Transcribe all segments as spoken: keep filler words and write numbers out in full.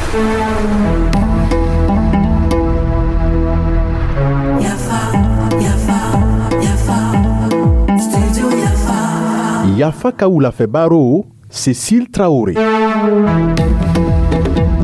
Yafa, Yafa, Yafa, Studio Yafa. Yafa ka wulafɛ baro, Cécile Traoré.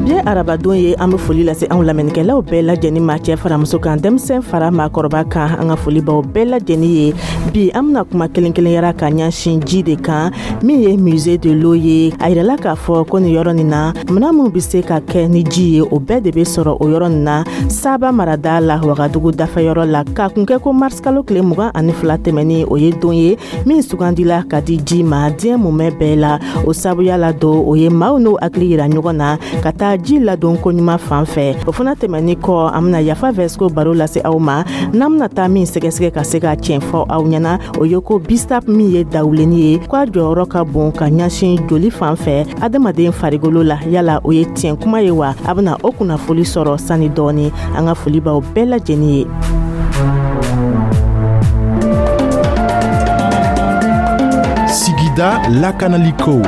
Bi ye arabadon ye. An be foli lase anw lamɛnnikɛlaw bɛɛ lajɛnin ma, cɛɛ fara muso kan, denmisɛn fara maakɔrɔba kan. An ka foli baw bɛɛ lajɛnin ye. Bi, an bena kuma kelen kelenyara ka ɲɛsin ji de kan, min ye Musée de l'Eau ye. A yirala k'a fɔ ko nin yɔrɔ nin na, mina minw be se ka kɛ ni ji ye, o bɛɛ de be sɔrɔ o yɔrɔ nin na, Saba marada la, Wagadugu dafɛyɔrɔ la. K'a kun kɛ ko marisikalo tile mugan ani fila tɛmɛni, o ye don ye min sugandila ka di ji ma diɲɛ mumɛ bɛɛ la. O sabuya la don, o ye maaw n'o hakili yira ɲɔgɔn na ka taa ji ladon koɲuman fan fɛ. O fana tɛmɛni kɔ, an bena Yafa Vɛsiko baro lase aw ma. N'an bena taa min sɛgɛsɛgɛ ka se ka tiɲɛ fɔ aw ɲɛna, o ye ko bissap min ye dawulenni ye, k'a jɔyɔrɔ ka bon ka ɲɛsin joli fan fɛ adamaden farigolo la. Yala o ye tiɲɛ kuma ye wa? A bena o kunnafoli sɔrɔ sani dɔɔni. An ka foli b'aw bɛɛ lajɛnin ye. Sigida lakanaliko.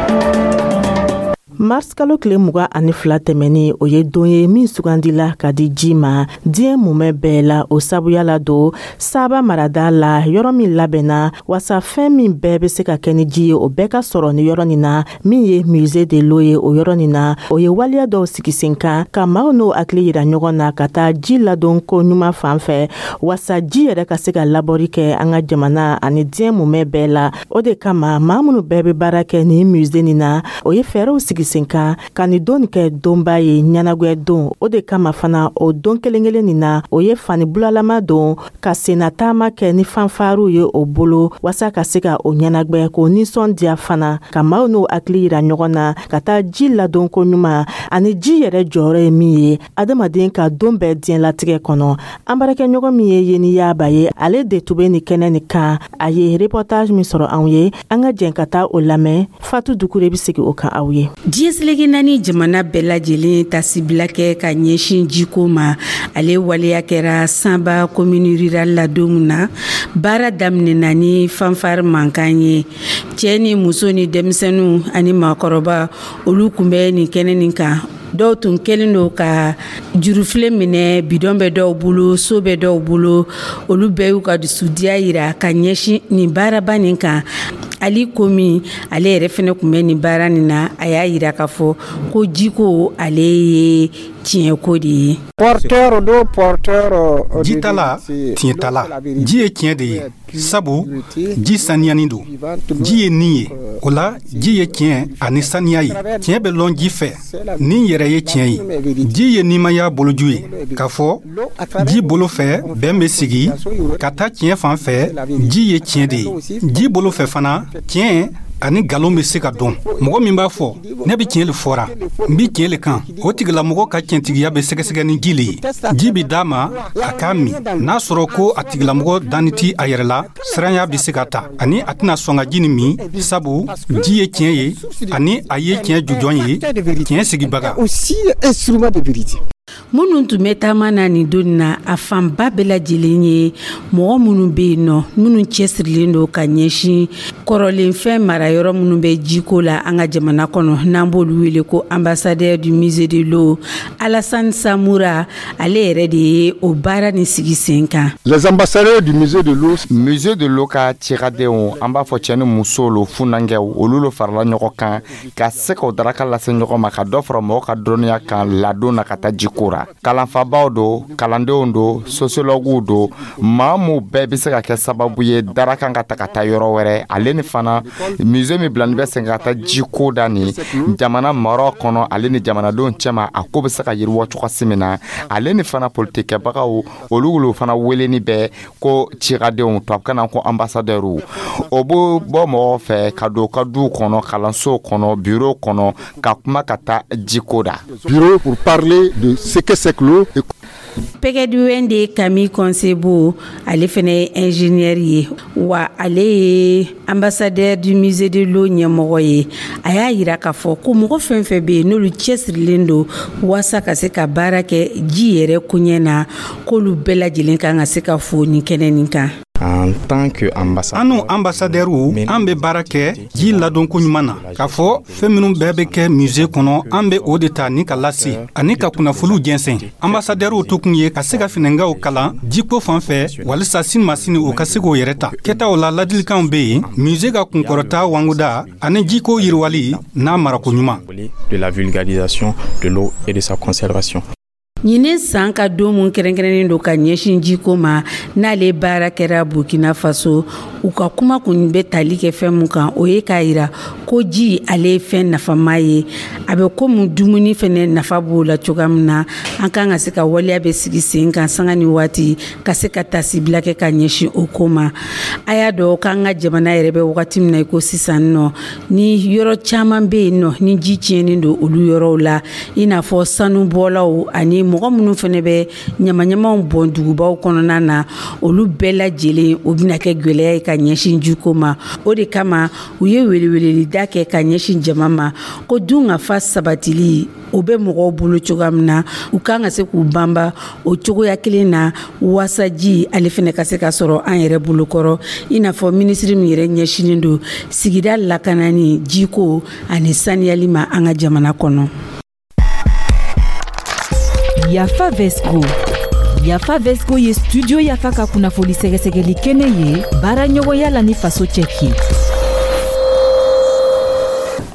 Mars kalo tile mugan ani fila tɛmɛni, o ye don ye min sugandila ka di ji ma diɲɛ mumɛ bɛɛ la. O sabuya la don, Saba marada la, yɔrɔ min labɛnna wasa fɛn min bɛɛ bɛ se ka kɛ ni ji ye, o bɛɛ ka sɔrɔ ni yɔrɔ nin na, min ye Musée de l'Eau ye. O yɔrɔ nin na, o ye waleya dɔw sigi sen kan ka maaw n'o hakili yira ɲɔgɔn na ka taa ji ladon ko ɲuman fan fɛ, wasa ji yɛrɛ ka se ka labɔri kɛ an ka jamana ani diɲɛ mumɛ bɛɛ la. O de kama, maa minnu bɛɛ bɛ baara kɛ nin musée nin na, o ye fɛɛrɛw sigi sen kan ka nin don nin kɛ donba ye, ɲɛnagwɛ don. O de kama fana, o don kelen kelen nin na, o ye fani bulalama don ka senna taama kɛ ni fanfariw ye o bolo, wasa ka se ka o ɲɛnagwɛ k'o nisɔndiya fana, ka maaw n'o hakili yira ɲɔgɔn na ka taa ji ladon ko ɲuman ani ji yɛrɛ jɔyɔrɔ ye min ye adamaden ka don bɛɛ diɲɛlatigɛ kɔnɔ. An baarakɛɲɔgɔn min ye Yeni Yaba ye, ale de tun bɛ nin kɛnɛ nin kan. A ye reportage min sɔrɔ anw ye, an ka jɛn ka taa o lamɛn. Fatu Dukure bɛ segin o kan aw ye. Diɲɛ seleke naani jamana bɛɛ lajɛlen tasibila kɛ ka ɲɛsin jiko ma. Ale waleya kɛra Sanba commune rurale la don min na, baara daminɛna ni fanfare mankan ye. Cɛɛ ni muso ni denmisɛnninw ani maakɔrɔba, olu kun bɛ nin kɛnɛ nin kan. Dɔw tun kɛlen don ka jurufilen minɛ, bidɔn bɛ dɔw bolo, so bɛ dɔw bolo. Olu bɛɛ y'u ka dusudiya yira ka ɲɛsin nin baaraba nin kan. Ali komi ale yɛrɛ fɛnɛ kun bɛ nin baara nin na, a y'a yira k'a fɔ ko jiko, ale ye tiɲɛko de ye. Porteur d'eau, porteur. Jitala, tiɲɛtala, ji ye tiɲɛ de ye, sabu ji saniyani don. Ji ye nin ye, o la ji ye tiɲɛ ani saniya ye. Tiɲɛ bɛ lɔn ji fɛ, nin yɛrɛ ye tiɲɛ ye. Ji ye nimaya boloju ye, k'a fɔ ji bolo fɛ bɛn bɛ sigi ka taa tiɲɛ fan fɛ. Ji ye tiɲɛ de ye. Ji bolo fɛ fana, tiɲɛ ani nkalon bɛ se ka dɔn. Mɔgɔ min b'a fɔ ne bɛ tiɲɛ le fɔra, n bɛ tiɲɛ le kan, o tigilamɔgɔ ka tiɲɛtigiya bɛ sɛgɛsɛgɛ ni ji le ye. Ji bɛ d'a ma a k'a min. N'a sɔrɔ ko a tigilamɔgɔ danni ti a yɛrɛ la, siranya bɛ se ka ta ani a tɛna sɔn ka ji nin min, sabu ji ye tiɲɛ ye ani a ye tiɲɛ jujɔn ye, tiɲɛ sigibaga. Minnu tun bɛ taama na nin don na, a fanba bɛɛ lajɛlen ye mɔgɔ minnu bɛ yen nɔ, minnu cɛsirilen don ka ɲɛsin kɔrɔlenfɛn mara yɔrɔ minnu bɛ jiko la an ka jamana kɔnɔ, n'an b'olu wele ko ambassadeur du Musée de l'Eau. Alassane Samoura, ale yɛrɛ de ye o baara nin sigi sen kan. Les ambassadeurs du Musée de l'Eau. Musée de l'Eau ka cikadenw, an b'a fɔ cɛ ni muso lo, funankɛw, olu lo farala ɲɔgɔn kan ka se k'o daraka lase ɲɔgɔn ma, ka dɔ fara mɔgɔw ka dɔnniya kan ladon na ka taa jiko ra. Kalanfabaw do, kalandenw do, sociologuw do, maa mu bɛɛ bɛ se ka kɛ sababu ye darakan ka ta ka taa yɔrɔ wɛrɛ. Ale ni fana musée min bilani bɛ sen ka taa jiko da ni jamana maraw kɔnɔ, ale ni jamanadenw cɛma, a ko bɛ se ka yiriwa cogosi min na. Ale ni fana politikɛbagaw, olu lo fana weleni bɛ ko cikadenw, tubabukan na ko ambassadeurw. O b'o bɔ mɔgɔw fɛ ka don ka duw kɔnɔ, kalansow kɔnɔ, bureau kɔnɔ, ka kuma ka taa jiko da. Bureau pour parler de ce que c'est que l'eau. Pɛgɛduwɛn de Camille Konsebo, ale fɛnɛ ye ingénieur ye wa ale ye ambassadeur du Musée de l'Eau ɲɛmɔgɔ ye. A y'a yira k'a fɔ ko mɔgɔ fɛn fɛn bɛ yen, n'olu cɛsirilen don waasa ka se ka baara kɛ ji yɛrɛ koɲɛ na, k'olu bɛɛ lajɛlen kan ka se ka fo nin kɛnɛ nin kan. En tant que ambassadeur, An n'u anbasadɛriw, an bɛ baara kɛ ji ladonko ɲuman na, k'a fɔ fɛn minnu bɛɛ bɛ kɛ musée kɔnɔ, an bɛ o de ta ni ka lase ani ka kunnafoniw jɛnsɛn. Anbasadɛriw tokun ye ka se ka finɛngaw kalan jiko fan fɛ, walisa sini ma sini u ka se k'o yɛrɛ ta. Kɛtaw la, ladilikanw bɛ yen, musée ka kunkɔrɔta wanguda ani jiko yiriwali n'a marako ɲuman. de la vulgarisation de l'eau et de sa conservation. Ɲinin san ka don mun kɛrɛnkɛrɛnnen don ka ɲɛsin jiko ma, n'ale baara kɛra Burkina Faso, u ka kuma kun bɛ tali kɛ fɛn mun kan, o ye k'a yira ko ji, ale ye fɛn nafama ye. A bɛ komi dumuni fɛnɛ nafa b'o la cogoya min na, an kan ka se ka waleya bɛ sigi sen kan sanga ni waati ka se ka tasibila kɛ ka ɲɛsin o ko ma. A y'a dɔn k'an ka jamana yɛrɛ bɛ wagati min na i ko sisan nɔ, ni yɔrɔ caman bɛ yen nɔ ni ji tiɲɛnen don olu yɔrɔw la, i n'a fɔ sanubɔlaw ani mɔgɔ minnu fɛnɛ bɛ ɲamaɲamaw bɔn dugubaw kɔnɔna na, olu bɛɛ lajɛlen, o bɛna kɛ gwɛlɛya ye ka ɲɛsin jiko ma. O de kama u ye welewelelida kɛ ka ɲɛsin jama ma ko dun ka fa sabatili, o bɛ mɔgɔw bolo cogoya min na, u kan ka se k'u banba o cogoya kelen na waasa ji ale fɛnɛ ka se ka sɔrɔ an yɛrɛ bolokɔrɔ, i n'a fɔ minisiri min yɛrɛ ɲɛsinen don sigida lakanani, jiko ani saniyali ma an ka jamana kɔnɔ. Yafa Vesco. Yafa Vesco ye Studio Yafa ka kunnafoni sɛgɛsɛgɛli kɛnɛ ye, baara ɲɔgɔnya la ni Faso Cɛki.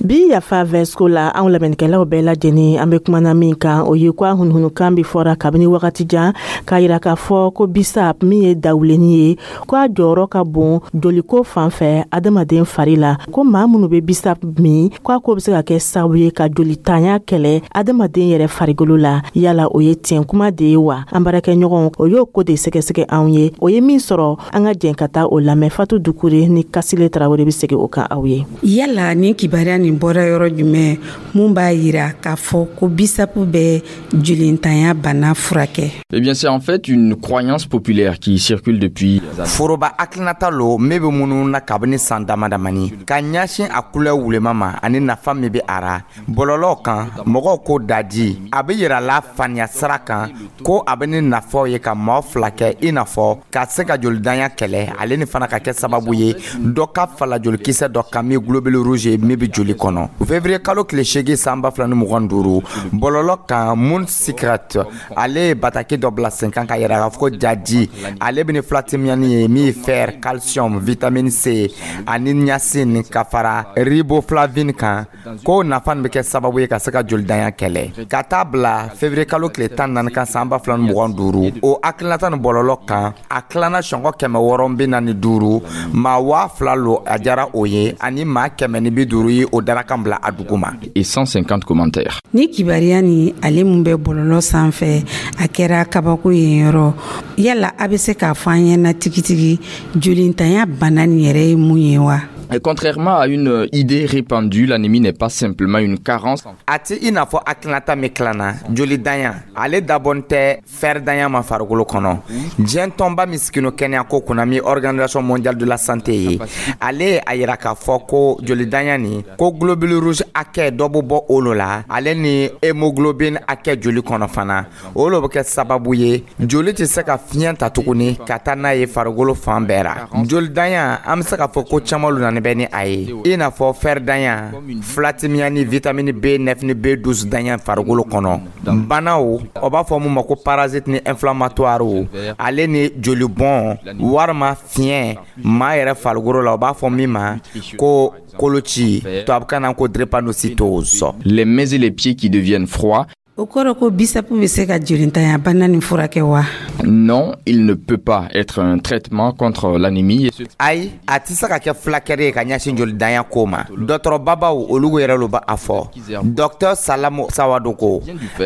Bi Yafa Vɛsko la, anw lamɛnnikɛlaw bɛɛ lajɛlen, an be kumana min kan, o ye ko a hunuhunukan bi fɔra kabini wagati jan k'a yira k'a fɔ ko bisap min ye dawuleni ye, ko a jɔyɔrɔ ka bon joliko fan fɛ adamaden fari la, ko maa minnu be bisap min, ko a ko be se ka kɛ sababu ye ka jolitanya kɛlɛ adamaden yɛrɛ farigolo la. Yala o ye tiɲɛ kuma de ye wa? An baarakɛɲɔgɔn, o y'o ko de sɛgɛsɛgɛ anw ye. O ye min sɔrɔ, an ka jɛn ka taa o lamɛn. Fatu Dukure ni Kasile Tarawele be segi o kan aw ye. Yala nin kibaruya nin bɔra yɔrɔ jumɛn mun b'a yira k'a fɔ ko bisapu bɛ jolintanya bana furakɛ? Eh bien, c'est en fait une croyance populaire qui circule depuis Foroba hakilinata lo min bɛ munnu na kabini san dama damani ka ɲɛsin a kulɛ wulema ma ani nafa min bɛ a ra. Bɔlɔlɔw kan, mɔgɔw ko daji a bɛ yira la faniya sira kan ko a bɛ ni nafaw ye ka maaw fila kɛ, i n'a fɔ ka se ka jolidanya kɛlɛ, ale ni fana ka kɛ sababu ye dɔ ka fala jolikisɛ dɔ kan min globule rouge ye min bɛ joli kɔnɔ. Février kalo tile seegin san ba fila ni mugan ni duuru, bɔlɔlɔ kan, Moon Secret, ale ye bataki dɔ bila sen kan ka yira k'a fɔ ko jaji ale bɛ ni filatimiyani ye min ye fer, calcium, vitamine C ani niacine ka fara riboflavine kan, ko nafa nin bɛ kɛ sababu ye ka se ka jolidanya kɛlɛ. Ka taa bila février kalo tile tan ni naani kan san ba fila ni mugan ni duuru, o hakilinata nin bɔlɔlɔ kan, a tilanna sɔngɔ kɛmɛ wɔɔrɔ bi naani duuru, maa waa fila lo a diyara o ye, ani maa kɛmɛ ni bi duuru ye o darakan bila a duguma. Et cent cinquante commentaires. Ni kibaruya ni ale mun bɛ bɔlɔlɔ sanfɛ, a kɛra kabako yen yɔrɔ. Yala a bɛ se k'a fɔ an ɲɛna tigitigi, jolintanya bana nin yɛrɛ ye mun ye wa? Et contrairement à une idée répandue, l'anémie n'est pas simplement une carence. A ti i n'a fɔ hakilinata min tilanna, jolidanya ale dabɔn tɛ fɛridanya ma farikolo kɔnɔ. Diɲɛ tɔnba min sigino kɛnɛyako kunna, min Organisation mondiale de la santé ye, ale ye a yira k'a fɔ ko jolidanya nin, ko globule rouge hakɛ dɔ bɛ bɔ o lo la, ale ni hémoglobine hakɛ joli kɔnɔ fana, o lo bɛ kɛ sababu ye joli tɛ se ka fiɲɛ ta tuguni ka taa n'a ye farikolo fan bɛɛ ra. Jolidanya, an bɛ se k'a fɔ ko caman lo nana bɛ ni a ye, i n'a fɔ fɛridanya, filatimiya ni vitamine B neuf ni B douze danya farikolo kɔnɔ. Banaw, o b'a fɔ mun ma ko parasite ni inflammatoire, ale ni jolibɔn walima fiɲɛ maa yɛrɛ farikolo la, o b'a fɔ min ma ko koloci, tubabukan na ko drépanocytose. Les mains et les pieds qui deviennent froids. O kɔrɔ ko bisapu bɛ se ka jolintanya bana nin furakɛ wa? Non, il ne peut pas être un traitement contre l'anémie. Ayi, a tɛ se ka kɛ fulakɛri ye ka ɲɛsin jolidanya ko ma. Dɔgɔtɔrɔbabaw, olu yɛrɛ lo b'a fɔ. Docteur Salamu Sawadogo,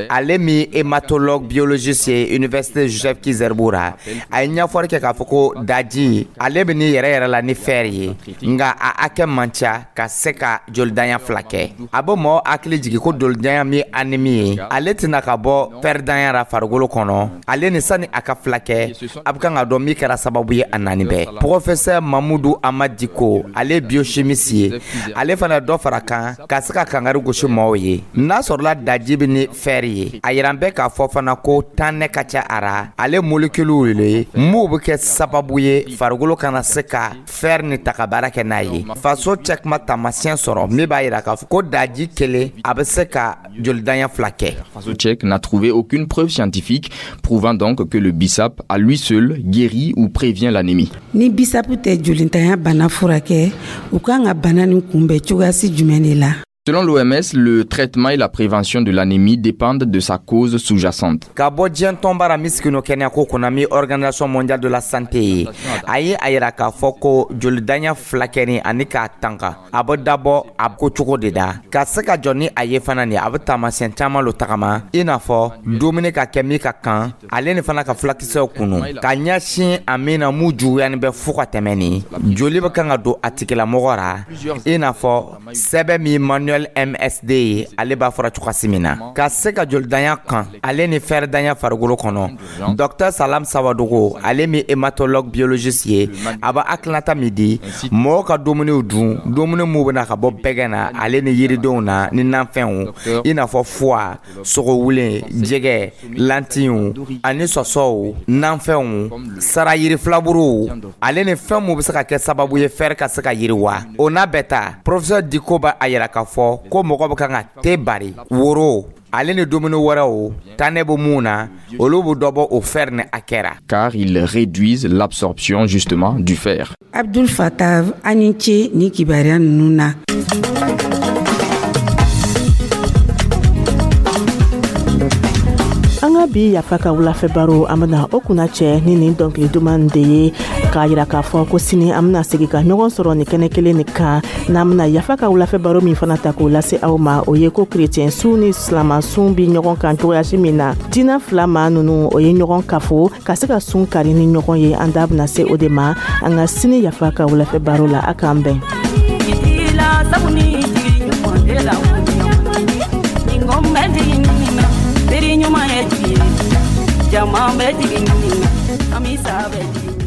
ale min hématologue biologiste ye Université Joseph Ki-Zerbo ra, a ye ɲɛfɔli kɛ k'a fɔ ko daji ale bɛ ni yɛrɛ yɛrɛ la ni fer ye, nka a hakɛ man ca ka se ka jolidanya furakɛ. A bɛ mɔgɔ hakili jigin ko jolidanya min ye anémie ye, Ale tɛna ka bɔ fɛridanya ra farikolo kɔnɔ. Ale ni sani a ka fila kɛ, a bɛ kan ka dɔn min kɛra sababu ye a nani bɛɛ. Professeur Mamudu Amad Diko, ale biochimiste ye, ale fana dɔ fara kan ka se ka kangari gosi maaw ye n'a sɔrɔla daji bɛ ni fer ye. A yiran bɛ k'a fɔ fana ko tannɛ ka ca a ra, ale moléculew le m'o bɛ kɛ sababu ye farikolo kana se ka fer ni ta ka baara kɛ n'a ye. Faso cɛkuma taamasiyɛn sɔrɔ min b'a yira k'a fɔ ko daji kelen a bɛ se ka jolidanya fila kɛ. Faso tchèque n'a trouvé aucune preuve scientifique prouvant donc que le bissap à lui seul guérit ou prévient l'anémie. Ni bisapu tɛ jolintanya bana furakɛ, u kan ka bana nin kunbɛn cogoyasi jumɛn de la? Selon l'O M S, le traitement et la prévention de l'anémie dépendent de sa cause sous-jacente. Ka bɔ diɲɛ tɔnba ra min sigino kɛnɛyako kunna, min Organisation mondiale de la santé ye, a ye a yira k'a fɔ ko jolidanya filakɛni ani k'a tanga, a bɛ dabɔ a ko cogo de da ka se ka jɔ ni a ye fana. Nin a bɛ taamasiyɛn caman lo tagama, i n'a fɔ dumuni ka kɛ min ka kan, ale ni fana ka fulakisɛw kunu ka ɲɛsin a min na mun juguyani bɛ fo ka tɛmɛ. Nin joli bɛ kan ka don a tigilamɔgɔ ra, i n'a fɔ sɛbɛn min manuel M S D ye, ale b'a fɔra cogoyasi min na ka se ka jolidanya kan, ale ni fɛrɛdanya farikolo kɔnɔ. Docteur Salam Sawadogo, ale min hématologue biologiste ye, a b'a hakilinata min di mɔgɔw ka dumuniw dun, dumuni mun bɛna ka bɔ bɛgɛ na, ale ni yiridenw na ni nafɛnw, i n'a fɔ foie, sogowulen, jɛgɛ, lantiw ani sɔsɔw, nafɛnw, sara yiri filaburuw, ale ni fɛn mun bɛ se ka kɛ sababu ye fer ka se ka yiriwa. O n'a bɛɛ ta, professeur Diko b'a a yira k'a fɔ ko mɔgɔ bɛ kan ka te bari woro, ale ni dumuni wɛrɛw tannɛ bɛ mun na, olu bɛ dɔ bɔ o fer ni a kɛra. Car ils réduisent l'absorption justement du fer. Abdul Fatah, a ni ce ni kibaruya ninnu na. An ka bi Yafa ka wulafɛ baro, an bena o kunna cɛ ni nin dɔnkili duman de ye, k'a yira k'a fɔ ko sini an bena segi ka ɲɔgɔn sɔrɔ nin kɛnɛ kelen nin kan, n'an bena Yafa ka wulafɛ baro min fana ta k'o lase aw ma, o ye ko kerecɛn sun ni silama sun bi ɲɔgɔn kan cogoyasi min na. Diina fila maa nunu, o ye ɲɔgɔn kafo ka se ka sun kari ni ɲɔgɔn ye. An da bena se o de ma an ka sini Yafa ka wulafɛ baro la. A k'an bɛn. Teri ɲuman ye jigi ye, jama bɛ jigin ɲini na, an bɛ sa bɛ jigin.